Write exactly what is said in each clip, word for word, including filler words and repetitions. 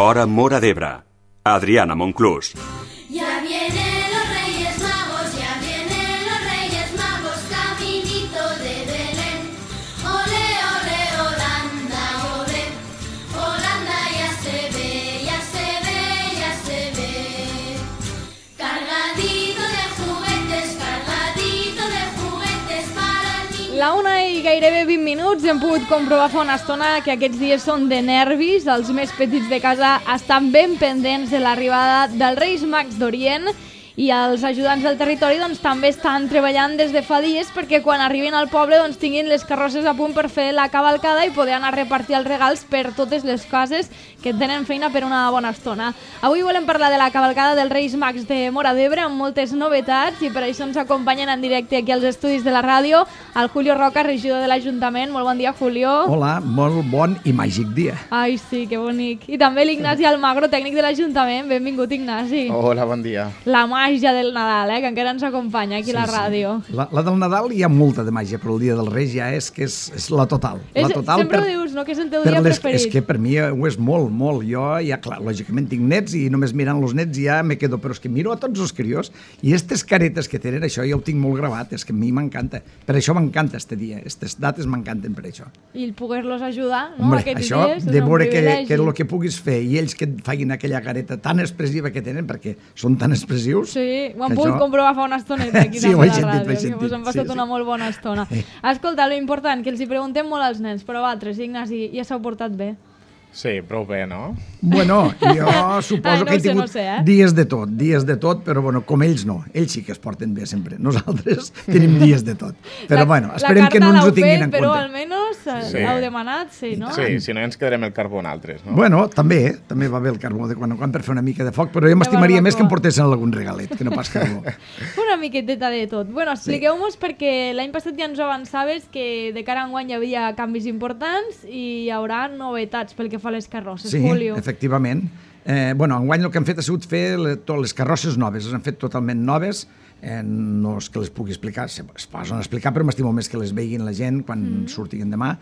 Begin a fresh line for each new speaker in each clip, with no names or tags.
Hora Móra d'Ebre. Adriana Monclús.
Ya vienen los Reyes Magos, ya vienen los Reyes Magos, caminito de Belén. Ole, ole, Holanda, ole, Holanda ya se ve, ya se ve, ya se ve. Cargadito de juguetes, cargadito de juguetes para el niño.
La una i gairebé vint minuts hem pogut comprovar fa una estona que aquests dies són de nervis. Els més petits de casa estan ben pendents de l'arribada dels Reis Mags d'Orient i els ajudants del territori doncs, també estan treballant des de fa dies perquè quan arribin al poble doncs, tinguin les carrosses a punt per fer la cavalcada i poder anar a repartir els regals per totes les cases que tenen feina per una bona estona. Avui volem parlar de la cavalcada dels Reis Mags de Móra d'Ebre amb moltes novetats i per això ens acompanyen en directe aquí als estudis de la ràdio el Julio Roca, regidor de l'Ajuntament. Molt bon dia, Julio.
Hola, molt bon i màgic dia.
Ai, sí, que bonic. I també l'Ignasi Almagro, tècnic de l'Ajuntament. Benvingut, Ignasi.
Hola, bon dia.
La màgia del Nadal, eh, que encara ens acompanya aquí
Sí,
a la
sí.
ràdio.
La, la del Nadal hi ha molta de màgia, però el dia dels Reis ja és que és, és la total.
És,
la total
sempre ho dius, no?, que és el teu
per
dia
les,
preferit.
És que per mi ho és molt, molt. Jo ja, clar, lògicament tinc nets i només mirant els nets ja me quedo, però és que miro a tots els crios i aquestes caretes que tenen, això ja ho tinc molt gravat, és que a mi m'encanta. Per això m'encanta este dia, aquestes dates m'encanten per això.
I el poder-los ajudar, no?,
Hombre,
aquests
això
dies, és
de
un
veure que,
privilegi.
que el que puguis fer i ells que et facin aquella careta tan expressiva que tenen, perquè són tan expressius...
Sí, ho hem
que
pogut
això-
comprovar fa una estoneta aquí
Sí,
també
ho he
a la
sentit, ho he
ràdio, que
sentit,
us hem passat
sí, sí.
una molt bona estona.
Sí.
Escolta, lo important, que els hi preguntem molt als nens, però vosaltres, Ignasi, ja s'heu portat bé.
Sí, prou bé, no?
Bueno, jo suposo
Ai, no
que he
ho sé,
tingut
no ho sé, eh?
dies de tot, dies de tot, però bueno, com ells no. Ells sí que es porten bé sempre. Nosaltres tenim dies de tot. Però
La-
bueno, esperem que no ens ho tinguin en
La carta l'heu fet, però
compte.
almenys eh,
Sí.
l'heu demanat, sí, no?
Sí, si no ens quedarem el carbó en altres, no?
Bueno, també, eh? també va bé el carbó de quan en quan per fer una mica de foc, però jo m'estimaria més que em
barbacoa.
portessin algun regalet, que no pas carbó.
Una miqueteta de tot. Bueno, expliqueu-nos perquè l'any passat ja ens ho avançaves que de cara a enguany hi havia canvis importants i hi haurà novetats pel que fa a les carrosses,
Sí,
Julio.
efectivament. Eh, bueno, enguany el que han fet ha sigut fer le, tot, les carrosses noves, les han fet totalment noves, eh, no és que les pugui explicar, se- es posen a explicar, però m'estimo més que les veguin la gent quan mm. surtin demà,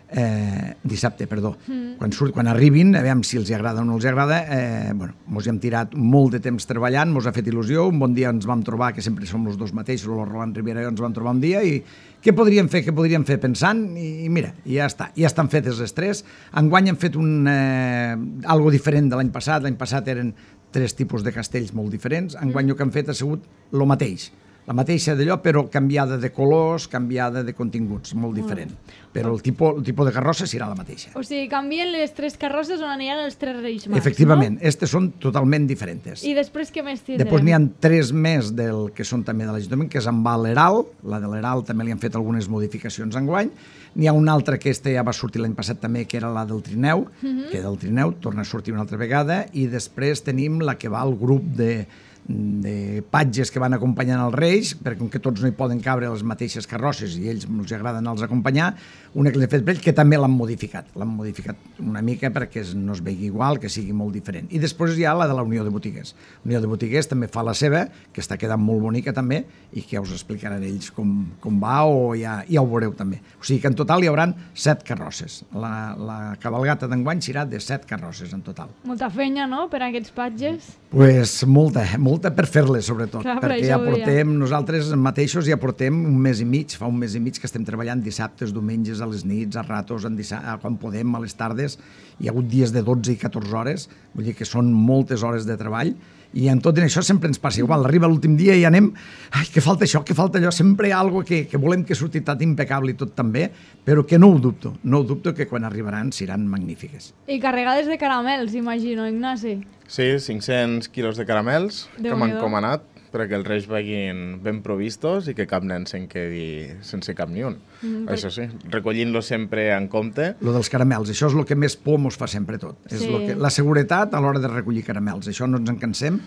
eh, dissabte, perdó. Mm. Quan, surt, quan arribin, a veure si els agrada o no els agrada, eh, bueno, mos hi hem tirat molt de temps treballant, mos ha fet il·lusió, un bon dia ens vam trobar, que sempre som els dos mateixos, el Roland Rivera i jo ens vam trobar un dia, i què podríem fer, què podríem fer pensant, i, i mira, i ja està, ja estan fetes les tres. Enguany hem fet un, eh, algo diferent de l'any passat, l'any passat eren tres tipus de castells molt diferents, enguany el que hem fet ha sigut el mateix, la mateixa d'allò, però canviada de colors, canviada de continguts, molt diferent. Però el tipus, el tipus de carrossa serà la mateixa.
O sigui, canvien les tres carrosses on aniran els tres Reis Mags,
Efectivament, aquestes són totalment diferents.
no? I després què més tindrem?
Després n'hi ha tres més del que són també de l'Ajuntament, que és amb l'Heral, la de l'Heral també li han fet algunes modificacions enguany. N'hi ha una altra que aquesta ja va sortir l'any passat també, que era la del Trineu,
Mhm.
que del Trineu torna a sortir una altra vegada, i després tenim la que va al grup de de patges que van acompanyant els Reis, perquè com que tots no hi poden cabre les mateixes carrosses i ells els agraden els acompanyar, una que l'he fet per ells, que també l'han modificat. L'han modificat una mica perquè es- no es vegi igual, que sigui molt diferent. I després hi ha la de la Unió de Botiguers. La Unió de Botiguers també fa la seva, que està quedant molt bonica també, i que ja us explicaran ells com, com va, o ja, ja ho veureu també. O sigui que en total hi haurà set carrosses. La, la cabalgata d'enguany serà de set carrosses en total.
Molta feina, no?, per a aquests patges.
Pues molta, molta per fer-les, sobretot,
Clar, per
perquè
això
ja
ho deia.
portem, nosaltres mateixos ja portem un mes i mig, fa un mes i mig que estem treballant dissabtes, diumenges, a les nits, a ratos, en dissa- a quan podem, a les tardes. Hi ha hagut dies de dotze i catorze hores, vull dir que són moltes hores de treball, i en tot això sempre ens passa igual. Arriba l'últim dia i anem, ai, que falta això, que falta allò, sempre hi ha alguna que, que volem que surti tot impecable i tot també, però que no ho dubto, no ho dubto que quan arribaran seran magnífiques.
I carregades de caramels, imagino, Ignasi.
Sí, cinc-cents quilos de caramels que m'han
Déu-n'hi-do.
encomanat perquè els Reis vagin ben provistos i que cap nen se'n quedi sense cap ni un.
Mm,
Això sí, recollint-los sempre en compte.
Lo dels caramels, això és el que més por mos fa sempre tot. És
Sí.
lo que, la seguretat a l'hora de recollir caramels, això no ens en cansem.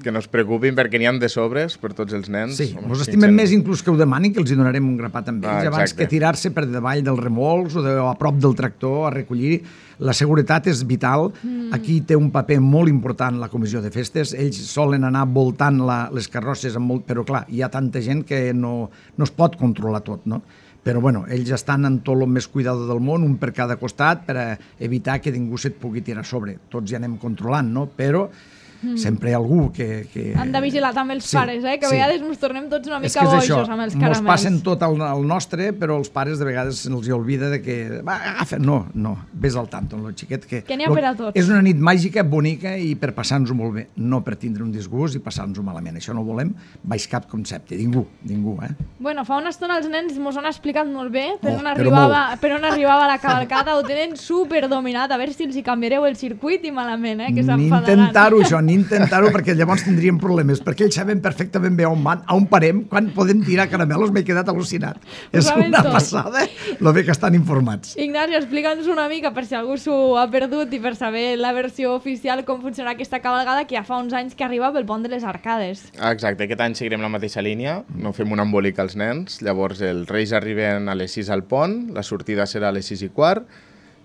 Que no es preocupin perquè n'hi ha de sobres per tots els nens.
Sí,
Home,
mos
si
estimem
ens en-
més inclús que ho demanin, que els hi donarem un grapat amb ells,
Ah,
abans
exacte.
que tirar-se per davall dels remolcs o, de, o a prop del tractor a recollir. La seguretat és vital. Mm. Aquí té un paper molt important la comissió de festes. Ells solen anar voltant la, les carrosses, amb molt, però clar, hi ha tanta gent que no, no es pot controlar tot, no? Però, bueno, ells estan en tot el més cuidado del món, un per cada costat, per a evitar que ningú se't pugui tirar a sobre. Tots ja anem controlant, no? Però mm. sempre hi ha algú que... que...
Han de vigilar també els
sí,
pares, eh? Que a
sí.
vegades ens tornem tots una
És
mica
que és
bojos
això,
amb els
mos
caramels.
passen tot al, al nostre, però els pares de vegades se'ls oblida de que... Va, agafa, no, no, vés al tanto amb el xiquet. Que,
Que n'hi ha per a tots.
És una nit màgica, bonica i per passar-nos-ho molt bé, no per tindre un disgust i passar-nos-ho malament. Això no ho volem baix cap concepte, ningú, ningú, eh?
Bueno, fa una estona els nens mos han explicat molt bé per,
Oh,
on,
però
arribava, per on arribava la cavalcada, ho tenen super dominat, a veure si els hi canviareu el circuit i malament, eh, que
Ni
s'enfadaran.
intentar-ho, això, ni intentar-ho, perquè llavors tindríem problemes, perquè ells saben perfectament bé on van, on parem, quan podem tirar caramelos, m'he quedat al·lucinat. És
saben
una
tot.
passada, lo bé que estan informats.
Ignasi, explica'ns una mica, per si algú s'ho ha perdut i per saber la versió oficial, com funciona aquesta cavalgada, que ja fa uns anys que arriba pel pont de les Arcades.
Exacte, aquest any seguirem la mateixa línia, no fem un embolic als nens, llavors els Reis arriben a les sis al pont, la sortida serà a les sis i quart,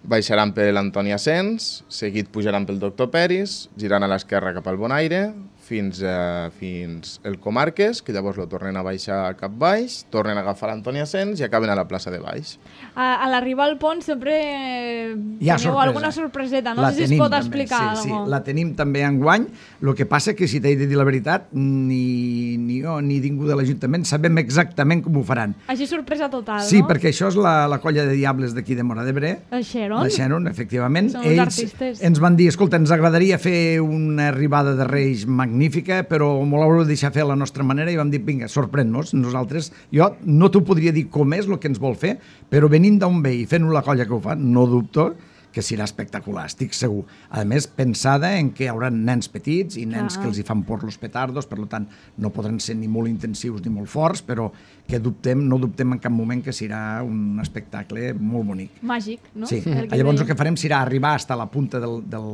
baixaran per l'Antoni Asens, seguit pujaran pel Doctor Peris, girant a l'esquerra cap al Bonaire, fins, a, fins el Comarques, que llavors lo tornen a baixar cap baix, tornen a agafar l'Antoni Asens i acaben a la plaça de baix.
A, a l'arribar al pont sempre
Hi ha
teniu
sorpresa.
alguna sorpreseta, no
La
sé si es
tenim,
pot
també,
explicar
sí,
alguna
sí, la tenim també enguany. El que passa que, si t'he de dir la veritat, ni, ni jo ni ningú de l'Ajuntament sabem exactament com ho faran.
Així sorpresa total,
Sí,
no?
perquè això és la, la colla de diables d'aquí de Móra d'Ebre.
El Xeron?
La Xeron, efectivament.
Són uns
Ells
artistes.
ens van dir, escolta, ens agradaria fer una arribada de Reis magnífica, però m'ho l'haureu de deixar fer a la nostra manera, i vam dir, vinga, sorprèn-nos. Nosaltres, jo no t'ho podria dir com és el que ens vol fer, però venint d'on ve i fent-ho la colla que ho fa, no dubto que serà espectacular, estic segur. A més, pensada en que hi haurà nens petits i nens
Clar.
que els hi fan por los petardos, per tant, no podran ser ni molt intensius ni molt forts, però que dubtem, no dubtem en cap moment que serà un espectacle molt bonic.
Màgic, no?
Sí,
El que
llavors el
dèiem.
que farem serà arribar fins a la punta del, del,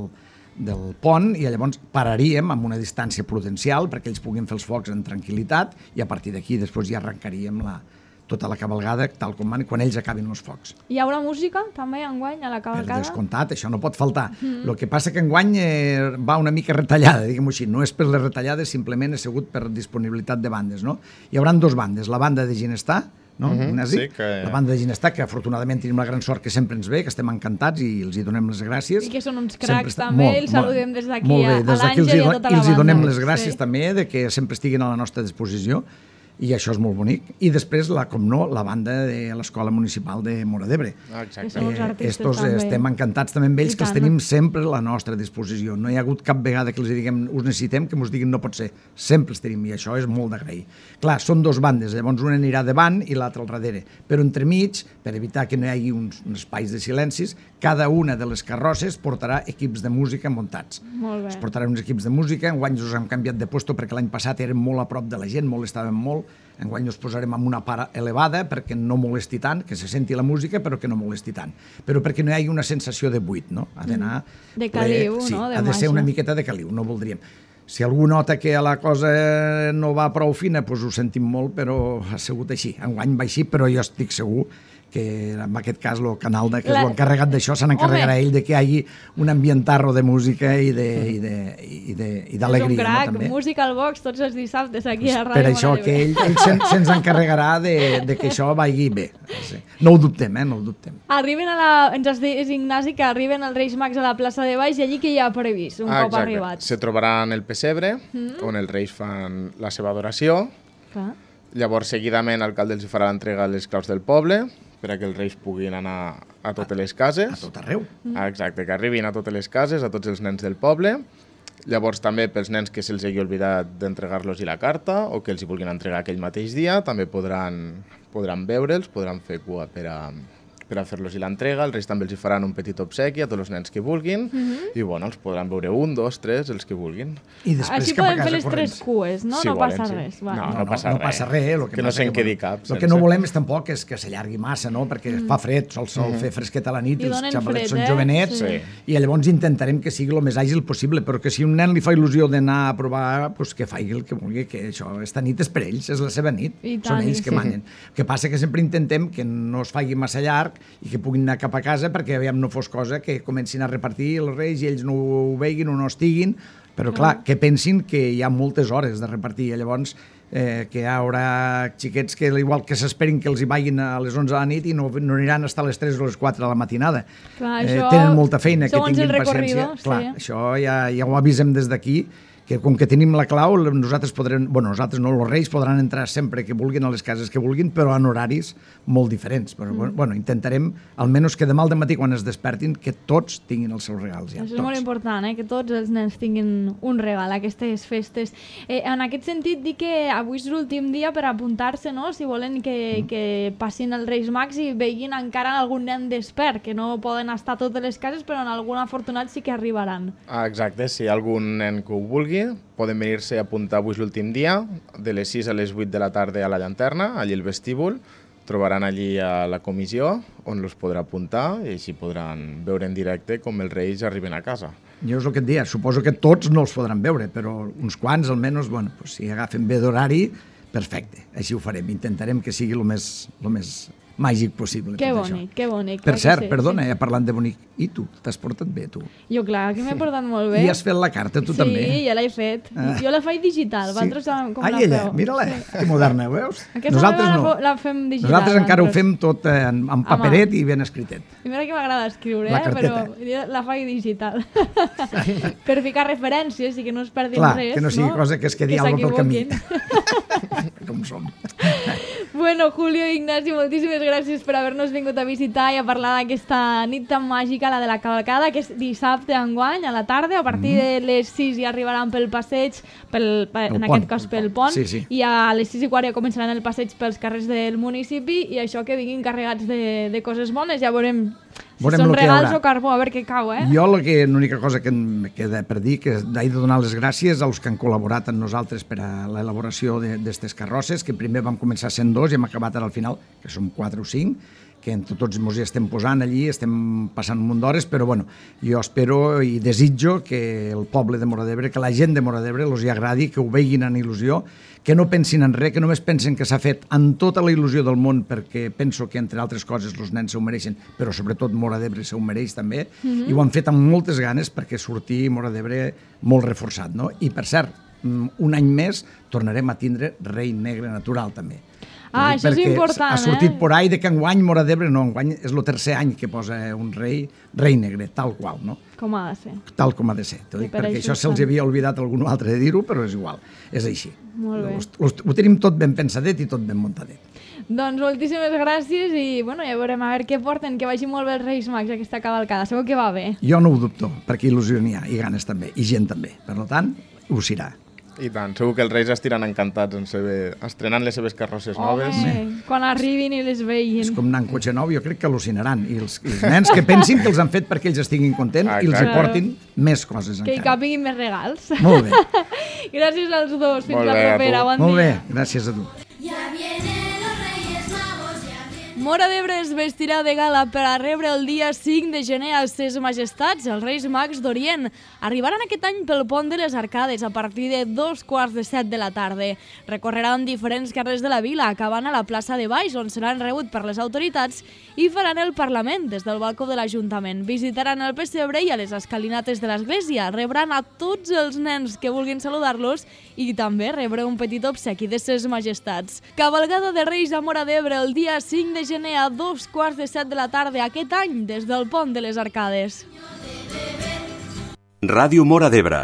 del pont, i llavors pararíem amb una distància prudencial perquè ells puguin fer els focs en tranquil·litat, i a partir d'aquí després ja arrencaríem la, tota la cavalgada tal com van, quan ells acabin els focs.
Hi haurà música també enguany a la
Per
cavalcada?
descomptat, això no pot faltar. Mm. El que passa que enguany eh, va una mica retallada, diguem-ho així. No és per les retallades, simplement ha sigut per disponibilitat de bandes, no? Hi haurà dos bandes, la banda de Ginestar, no?
Mhm,
Ignasi?
sí, que-
La banda de Ginestar, que afortunadament tenim la gran sort que sempre ens ve, que estem encantats i els hi donem les gràcies.
I que són uns
Sempre
cracs
està-
també,
molt,
els saludem des d'aquí
molt bé,
a- a
des d'aquí els
l'Àngel
hi
i a
do-
tota la
els hi donem
banda.
les gràcies
Sí.
també de que sempre estiguin a la nostra disposició, i això és molt bonic. I després, la, com no, la banda de l'Escola Municipal de Móra d'Ebre.
Exacte.
Són uns artistes
estos
també.
estem encantats també amb ells,
I
que els
tant.
tenim sempre a la nostra disposició. No hi ha hagut cap vegada que els diguem us necessitem, que ens diguin no pot ser. Sempre els tenim, i això és molt d'agrair. Clar, són dos bandes, llavors una anirà davant i l'altra al darrere. Però entremig, per evitar que no hi hagi uns, uns espais de silencis, cada una de les carrosses portarà equips de música muntats.
Molt bé.
Es portaran uns equips de música, enguany us hem canviat de puesto perquè l'any passat érem molt a prop de la gent, molestàvem molt, enguany us posarem en una part elevada perquè no molesti tant, que se senti la música però que no molesti tant, però perquè no hi hagi una sensació de buit, no? Ha d'anar...
De caliu,
sí,
no? De
ha de ser
màgia.
una miqueta de caliu, no voldríem. Si algú nota que la cosa no va prou fina, doncs ho sentim molt, però ha sigut així. Enguany va així, però jo estic segur que en aquest cas el canal de, que és
La-
l'encarregat d'això se n'encarregarà
Home.
ell de que hi hagi un ambientarro de música i de- i de- i de- i
És un
d'alegria,
crac,
no, també.
música al box tots els dissabtes aquí a Ràdio
Per això
Móra
que
d'Ebre.
ell, ell se'n- se'ns encarregarà de, de que això vagi bé. Sí. No ho dubtem, eh? No ho dubtem.
Arriben a la... Ens has dit, Ignasi, que arriben els Reis Mags a la plaça de Baix, i allí que hi ha previst un
Ah,
cop
exacte.
arribats.
Se trobaran el pessebre, mm. on els Reis fan la seva adoració.
Clar.
Llavors, seguidament, l'alcalde els farà l'entrega de les claus del poble, per a que els Reis puguin anar a totes les cases.
A tot arreu.
Ah, exacte, que arribin a totes les cases, a tots els nens del poble. Llavors, també pels nens que se'ls hagi oblidat d'entregar-los la carta o que els hi vulguin entregar aquell mateix dia, també podran, podran veure'ls, podran fer cua per a, per a fer-los l'entrega. Els Reis també els hi faran un petit obsequi a tots els nens que vulguin i, bueno, els podran veure un, dos, tres, els que vulguin.
I després
Així
cap a
podem
casa
fer les
corrents.
tres cues, no?
Si
no
volen,
passa
sí.
res. Va.
No,
No, no,
passa
no
res.
passa res. Lo que,
Que no
passa
se'n quedi
bueno,
cap,
El que
sense.
no volem és tampoc és que s'allargui massa, no? Perquè fa fred, sol sol fer fresquet a la nit,
I
els
donen
xavalets
fred,
són
eh?
jovenets,
Sí.
i llavors intentarem que sigui el més àgil possible, però que si un nen li fa il·lusió d'anar a provar, doncs que faci el que vulgui, que això, esta nit és per ells, és la seva nit,
I
són
tant,
ells
i
que
sí.
manen. El que passa que sempre intentem que no es faci massa llarg i que puguin anar cap a casa perquè aviam no fos cosa que comencin a repartir els Reis i ells no ho veguin o no estiguin, Però clar, que pensin que hi ha moltes hores de repartir, llavors eh, que hi haurà xiquets que igual que s'esperin que els hi vagin a les onze de la nit i no, no aniran fins a les tres o les quatre de la matinada.
Clar,
eh,
això,
tenen molta feina, que
segons
tinguin
el recorrido,
paciència. Clar,
sí.
això ja, ja ho avisem des d'aquí, que com que tenim la clau, nosaltres podrem, bueno, nosaltres no, els reis podran entrar sempre que vulguin a les cases que vulguin, però en horaris molt diferents. Però, mm. bueno, intentarem, almenys que demà al matí quan es despertin, que tots tinguin els seus regals. Ja,
Això és
tots.
molt important, eh? Que tots els nens tinguin un regal a aquestes festes. Eh, en aquest sentit, dic que avui és l'últim dia per apuntar-se, no? Si volen que, mm. que passin els Reis Mags i veguin encara algun nen despert, que no poden estar a totes les cases, però en algun afortunat sí que arribaran.
Ah, exacte, si hi ha algun nen que ho vulgui, poden venir-se a apuntar avui l'últim dia, de les sis a les vuit de la tarda a la llanterna, allí al vestíbul. Trobaran allí a la comissió on els podrà apuntar i així podran veure en directe com els reis arriben a casa.
Jo és el que et deia, suposo que tots no els podran veure, però uns quants almenys, bueno, pues, si agafen bé d'horari, perfecte, així ho farem. Intentarem que sigui el més, el més màgic possible.
Que
tot
bonic,
això.
que bonic.
Per cert,
sí,
perdona,
sí.
ja parlant de bonic, i tu? T'has portat bé, tu?
Jo, clar, que m'he portat molt bé.
I has fet la carta, tu
sí,
també?
Sí, ja l'he fet.
Ah.
Jo la faig digital,
Sí.
vosaltres com
Ai,
la
ella,
feu?
mira-la,
Sí.
que moderna, ho veus?
Aquesta
Nosaltres
la,
no.
la fem digital.
Nosaltres encara ho
vosaltres.
fem tot eh, en, en paperet i ben escritet.
I mira que m'agrada escriure,
La
eh? Però
carteta.
jo la faig digital. Per ficar referències i que no es perdin
Clar,
res.
que no sigui cosa que es quedi alguna pel camí.
s'equivoquin.
Com som.
Bueno, Julio i Ignasi, moltíssimes gràcies per haver-nos vingut a visitar i a parlar d'aquesta nit tan màgica, la de la cavalcada, que és dissabte enguany, a la tarda. A partir de les sis ja arribaran pel passeig, pel, pel,
El
en
pont,
aquest cas
el
pel
pont.
pont,
Sí, sí.
i a les sis i quart ja començaran el passeig pels carrers del municipi, i això que vinguin carregats de, de coses bones. Ja veurem si
Veurem
són
lo que hi
regals
haurà.
o carbó, a veure què cau, eh?
Jo la que- l'única cosa que em queda per dir que he de donar les gràcies als que han col·laborat amb nosaltres per a l'elaboració d'aquestes carrosses, que primer vam començar sent dos i hem acabat ara al final, que som quatre o cinc, que entre tots ens hi estem posant allí, estem passant un munt d'hores, però bueno, jo espero i desitjo que el poble de Móra d'Ebre, que la gent de Móra d'Ebre els hi agradi, que ho veguin en il·lusió, que no pensin en res, que només pensen que s'ha fet amb tota la il·lusió del món, perquè penso que, entre altres coses, els nens se ho mereixen, però sobretot Móra d'Ebre se ho mereix també, mm-hmm. i ho han fet amb moltes ganes perquè sortir Móra d'Ebre molt reforçat, no? I, per cert, un any més tornarem a tindre Rei Negre Natural, també.
Ah, això és
Perquè
important,
ha sortit
eh?
por ahí de que enguany Móra d'Ebre, no, enguany és el tercer any que posa un rei, rei negre, tal qual, no?
Com ha de ser.
Tal com ha de ser. T'ho
I
dic
per
perquè
això
això se'ls
estan.
havia oblidat algun altre de dir-ho, però és igual, és així.
Molt bé.
Ho, ho tenim tot ben pensadet i tot ben muntadet.
Doncs moltíssimes gràcies i bueno, ja veurem a veure què porten, que vagi molt bé els Reis Mags aquesta cavalcada, segur que va bé.
Jo no ho dubto, perquè il·lusió n'hi ha, i ganes també, i gent també. Per tant, ho serà.
I tant, segur que els reis estiran encantats en saber, estrenant les seves carrosses noves.
Home, quan arribin i les veïn.
És com anar en cotxe nou, jo crec que al·lucinaran. I els, i els nens que pensin que els han fet perquè ells estiguin contents
Ah,
i els hi
clar.
portin més coses
Que hi
encara.
capiguin més regals.
Molt bé,
Gràcies als dos, fins
Molt
la
bé, a
propera,
tu.
bon
molt bé,
dia.
gràcies a tu.
Ya vienen los Reyes Magos, ya vienen.
Móra d'Ebre es vestirà de gala per a rebre el dia cinc de gener a ses majestats, els Reis Mags d'Orient. Arribaran aquest any pel pont de les Arcades a partir de dos quarts de set de la tarda. Recorreran diferents carrers de la vila, acabant a la plaça de Baix, on seran rebut per les autoritats, i faran el Parlament des del balcó de l'Ajuntament. Visitaran el pessebre i a les escalinates de l'església. Rebran a tots els nens que vulguin saludar-los i també rebre un petit obsequi de ses majestats. Cavalgada de Reis a Móra d'Ebre el dia cinc de gener a dos quarts de set de la tarda aquest any des del pont de les Arcades.
Ràdio Móra d'Ebre,